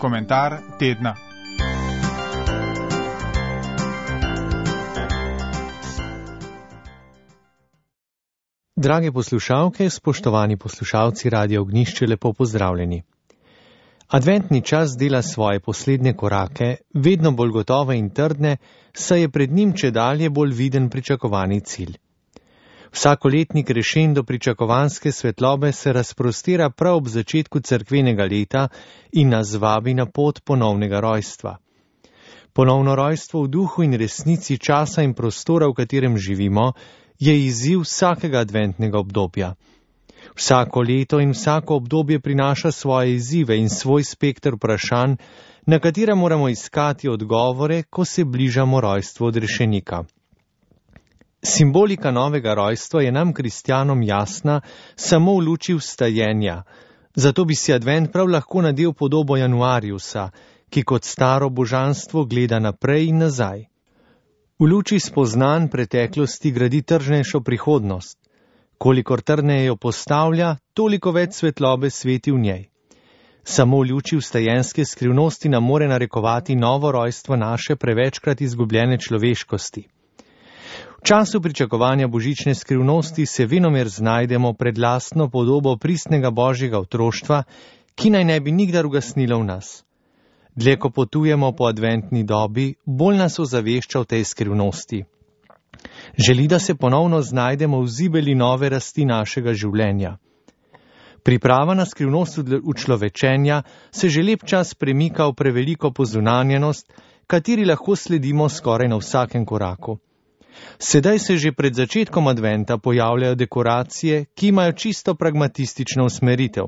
Komentar tedna. Drage poslušalke, spoštovani poslušalci Radia Ognjišče, lepo pozdravljeni. Adventni čas dela svoje poslednje korake, vedno bolj gotove in trdne, saj je pred njim čedalje bolj viden pričakovani cilj. Vsakoletni krešendo pričakovanske svetlobe se razprostira prav ob začetku cerkvenega leta in nas vabi na pot ponovnega rojstva. Ponovno rojstvo v duhu in resnici časa in prostora, v katerem živimo, je izziv vsakega adventnega obdobja. Vsako leto in vsako obdobje prinaša svoje izzive in svoj spekter vprašanj, na katera moramo iskati odgovore, ko se bližamo rojstvu odrešenika. Simbolika novega rojstva je nam, kristjanom, jasna samo v luči vstajenja, zato bi si advent prav lahko nadel podobo Januariusa, ki kot staro božanstvo gleda naprej in nazaj. V luči spoznanj preteklosti gradi trdnejšo prihodnost. Kolikor trdneje jo postavlja, toliko več svetlobe sveti v njej. Samo v luči vstajenske skrivnosti nam more narekovati novo rojstvo naše prevečkrat izgubljene človeškosti. V času pričakovanja božične skrivnosti se venomer znajdemo pred lastno podobo pristnega božjega otroštva, ki naj ne bi nikdar ugasnila v nas. Dlje ko potujemo po adventni dobi, bolj nas ozavešča v tej skrivnosti. Želi, da se ponovno znajdemo v zibeli nove rasti našega življenja. Priprava na skrivnost učlovečenja se že lep čas premika v preveliko pozunanjenost, kateri lahko sledimo skoraj na vsakem koraku. Sedaj se že pred začetkom adventa pojavljajo dekoracije, ki imajo čisto pragmatistično usmeritev.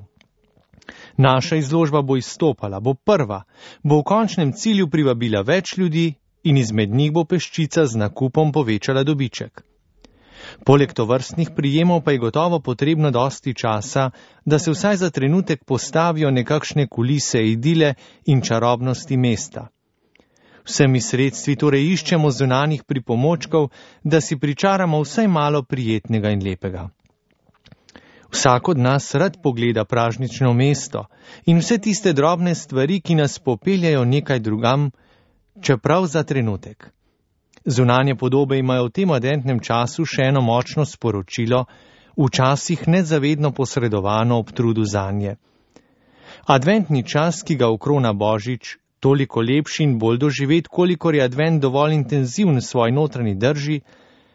Naša izložba bo izstopala, bo prva, bo v končnem cilju privabila več ljudi in izmed njih bo peščica z nakupom povečala dobiček. Poleg tovrstnih prijemov pa je gotovo potrebno dosti časa, da se vsaj za trenutek postavijo nekakšne kulise idile in čarobnosti mesta. Vsemi sredstvi torej iščemo zunanjih pripomočkov, da si pričaramo vsaj malo prijetnega in lepega. Vsak od nas rad pogleda pražnično mesto in vse tiste drobne stvari, ki nas popeljajo nekaj drugam, čeprav za trenutek. Zunanje podobe imajo v tem adventnem času še eno močno sporočilo, včasih nezavedno posredovano ob trudu zanje. Adventni čas, ki ga okrona Božič, toliko lepši in bolj doživet, kolikor je advent dovolj intenziven v svoji notranji drži,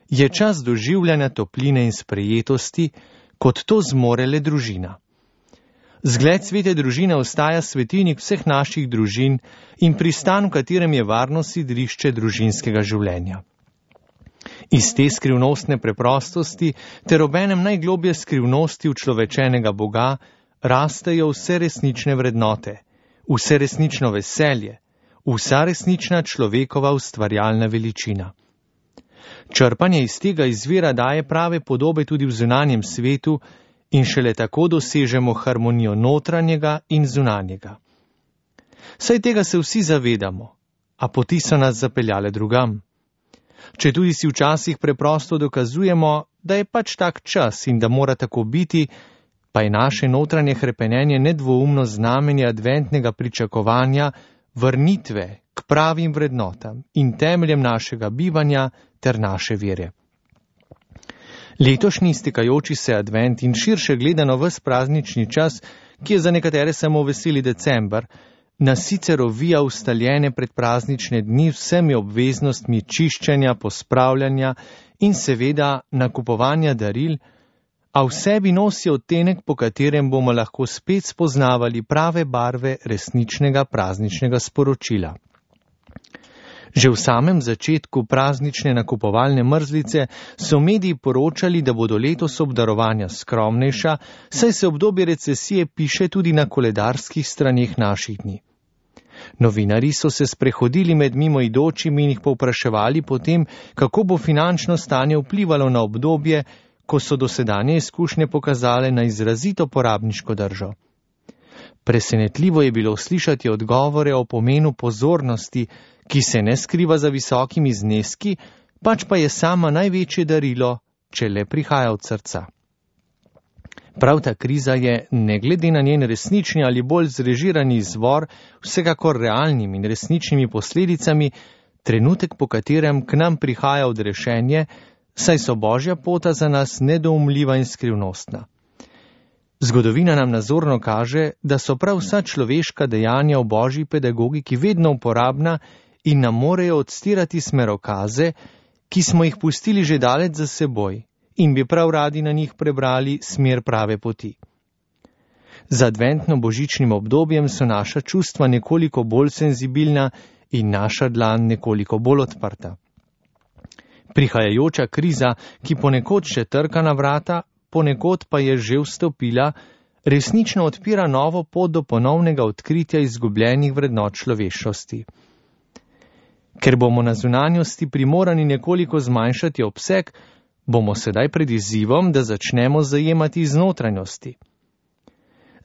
je čas doživljanja topline in sprejetosti, kot to zmore le družina. Zgled svete družine ostaja svetilnik vseh naših družin in pristan, v katerem je varno sidrišče družinskega življenja. Iz te skrivnostne preprostosti ter obenem najglobje skrivnosti učlovečenega Boga rastejo vse resnične vrednote, vse resnično veselje, vsa resnična človekova ustvarjalna veličina. Črpanje iz tega izvira daje prave podobe tudi v zunanjem svetu in šele tako dosežemo harmonijo notranjega in zunanjega. Saj tega se vsi zavedamo, a poti so nas zapeljale drugam. Če tudi si včasih preprosto dokazujemo, da je pač tak čas in da mora tako biti, pa je naše notranje hrepenenje nedvoumno znamenje adventnega pričakovanja, vrnitve k pravim vrednotam in temeljem našega bivanja ter naše vere. Letošnji iztekajoči se advent in širše gledano ves praznični čas, ki je za nekatere samo veseli december, nas sicer ovija ustaljene predpraznične dni vsemi obveznostmi čiščenja, pospravljanja in seveda nakupovanja daril, a v sebi nosi odtenek, po katerem bomo lahko spet spoznavali prave barve resničnega prazničnega sporočila. Že v samem začetku praznične nakupovalne mrzlice so mediji poročali, da bodo letos obdarovanja skromnejša, saj se obdobje recesije piše tudi na koledarskih straneh naših dni. Novinarji so se sprehodili med mimoidočimi in jih povpraševali potem, kako bo finančno stanje vplivalo na obdobje, ko so dosedanje izkušnje pokazale na izrazito porabniško držo. Presenetljivo je bilo slišati odgovore o pomenu pozornosti, ki se ne skriva za visokimi zneski, pač pa je sama največje darilo, če le prihaja od srca. Prav ta kriza je, ne glede na njen resnični ali bolj zrežirani izvor, vsekakor realnimi in resničnimi posledicami, trenutek, po katerem k nam prihaja odrešenje, saj so Božja pota za nas nedoumljiva in skrivnostna. Zgodovina nam nazorno kaže, da so prav vsa človeška dejanja v Božji pedagogiki vedno uporabna in nam morejo odstirati smerokaze, ki smo jih pustili že daleč za seboj in bi prav radi na njih prebrali smer prave poti. Z adventno-božičnim obdobjem so naša čustva nekoliko bolj senzibilna in naša dlan nekoliko bolj odprta. Prihajajoča kriza, ki ponekod še trka na vrata, ponekod pa je že vstopila, resnično odpira novo pot do ponovnega odkritja izgubljenih vrednot človeškosti. Ker bomo na zunanjosti primorani nekoliko zmanjšati obseg, bomo sedaj pred izzivom, da začnemo zajemati iz notranjosti.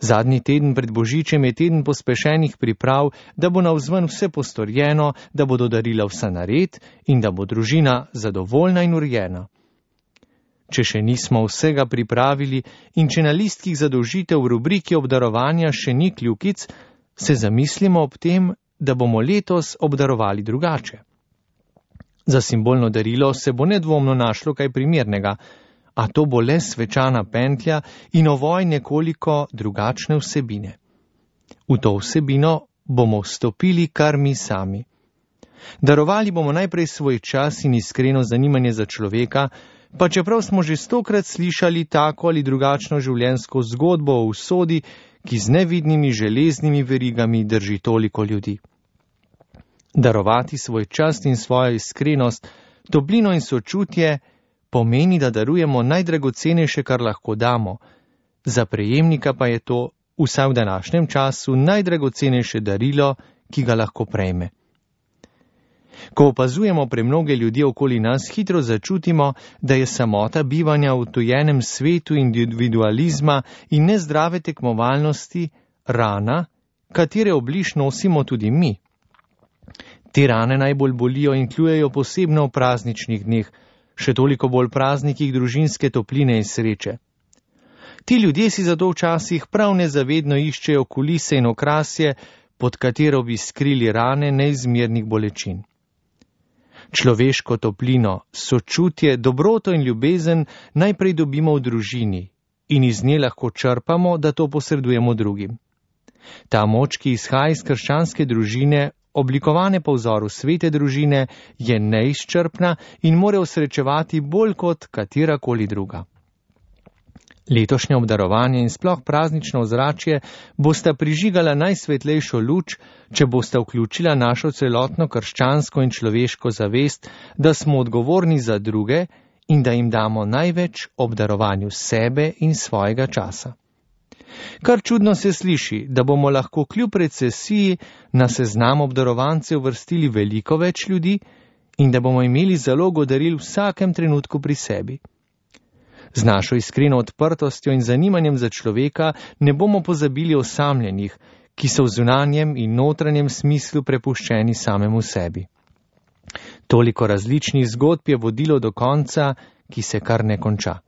Zadnji teden pred Božičem je teden pospešenih priprav, da bo navzven vse postorjeno, da bodo darila vsa nared in da bo družina zadovoljna in urjena. Če še nismo vsega pripravili in če na listkih zadolžitev v rubriki obdarovanja še ni kljukic, se zamislimo ob tem, da bomo letos obdarovali drugače. Za simbolno darilo se bo nedvomno našlo kaj primernega, a to bo le svečana pentlja in ovoj nekoliko drugačne vsebine. V to vsebino bomo vstopili kar mi sami. Darovali bomo najprej svoj čas in iskreno zanimanje za človeka, pa čeprav smo že 100-krat slišali tako ali drugačno življenjsko zgodbo o usodi, ki z nevidnimi železnimi verigami drži toliko ljudi. Darovati svoj čas in svojo iskrenost, toplino in sočutje pomeni, da darujemo najdragocenejše, kar lahko damo. Za prejemnika pa je to, vsaj v današnjem času, najdragocenejše darilo, ki ga lahko prejme. Ko opazujemo premnoge ljudi okoli nas, hitro začutimo, da je samota bivanja v tujenem svetu individualizma in nezdrave tekmovalnosti rana, katere obliž nosimo tudi mi. Te rane najbolj bolijo in kljujejo posebno v prazničnih dneh, še toliko bolj praznikih družinske topline in sreče. Ti ljudje si zato včasih prav nezavedno iščejo kulise in okrasje, pod katero bi skrili rane neizmernih bolečin. Človeško toplino, sočutje, dobroto in ljubezen najprej dobimo v družini in iz nje lahko črpamo, da to posredujemo drugim. Ta moč, ki izhaja iz krščanske družine, oblikovane po vzoru svete družine, je neizčrpna in more osrečevati bolj kot katerakoli druga. Letošnje obdarovanje in sploh praznično ozračje bosta prižigala najsvetlejšo luč, če bosta vključila našo celotno krščansko in človeško zavest, da smo odgovorni za druge in da jim damo največ ob darovanju sebe in svojega časa. Kar čudno se sliši, da bomo lahko kljub recesiji na seznam obdarovancev vrstili veliko več ljudi in da bomo imeli zalogo daril v vsakem trenutku pri sebi. Z našo iskreno odprtostjo in zanimanjem za človeka ne bomo pozabili osamljenih, ki so v zunanjem in notranjem smislu prepuščeni samemu sebi. Toliko različnih zgodb je vodilo do konca, ki se kar ne konča.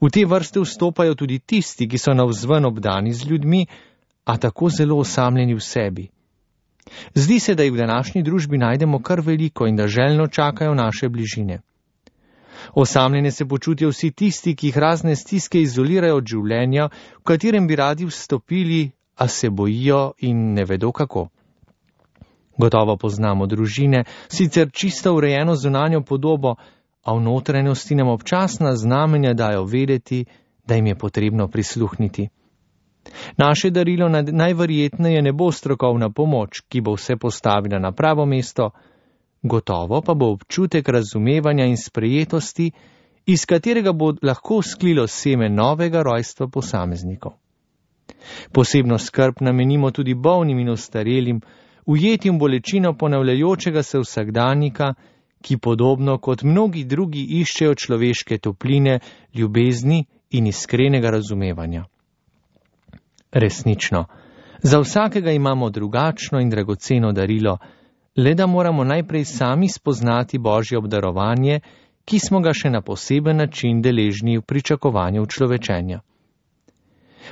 V te vrste vstopajo tudi tisti, ki so navzven obdani z ljudmi, a tako zelo osamljeni v sebi. Zdi se, da jih v današnji družbi najdemo kar veliko in da željno čakajo naše bližine. Osamljene se počutijo vsi tisti, ki jih razne stiske izolirajo od življenja, v katerem bi radi vstopili, a se bojijo in ne vedo kako. Gotovo poznamo družine, sicer čisto urejeno zunanjo podobo, a v notranjosti nam občasna znamenja dajo vedeti, da jim je potrebno prisluhniti. Naše darilo najverjetneje ne bo strokovna pomoč, ki bo vse postavila na pravo mesto, gotovo pa bo občutek razumevanja in sprejetosti, iz katerega bo lahko vzklilo seme novega rojstva posameznikov. Posebno skrb namenimo tudi bolnim in ostarelim, ujetim bolečino ponavljajočega se vsakdanjika, ki podobno kot mnogi drugi iščejo človeške topline, ljubezni in iskrenega razumevanja. Resnično, za vsakega imamo drugačno in dragoceno darilo, le da moramo najprej sami spoznati Božje obdarovanje, ki smo ga še na poseben način deležni v pričakovanju človečenja.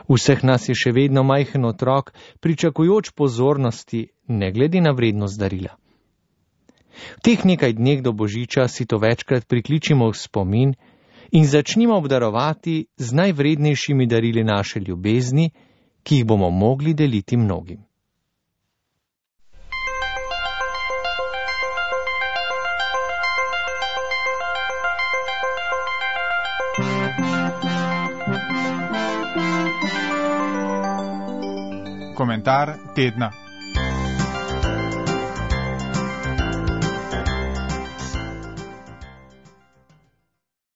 Vseh nas je še vedno majhen otrok, pričakujoč pozornosti, ne glede na vrednost darila. V teh nekaj dneh do Božiča si to večkrat prikličimo v spomin in začnimo obdarovati z najvrednejšimi darili naše ljubezni, ki jih bomo mogli deliti mnogim. Komentar tedna.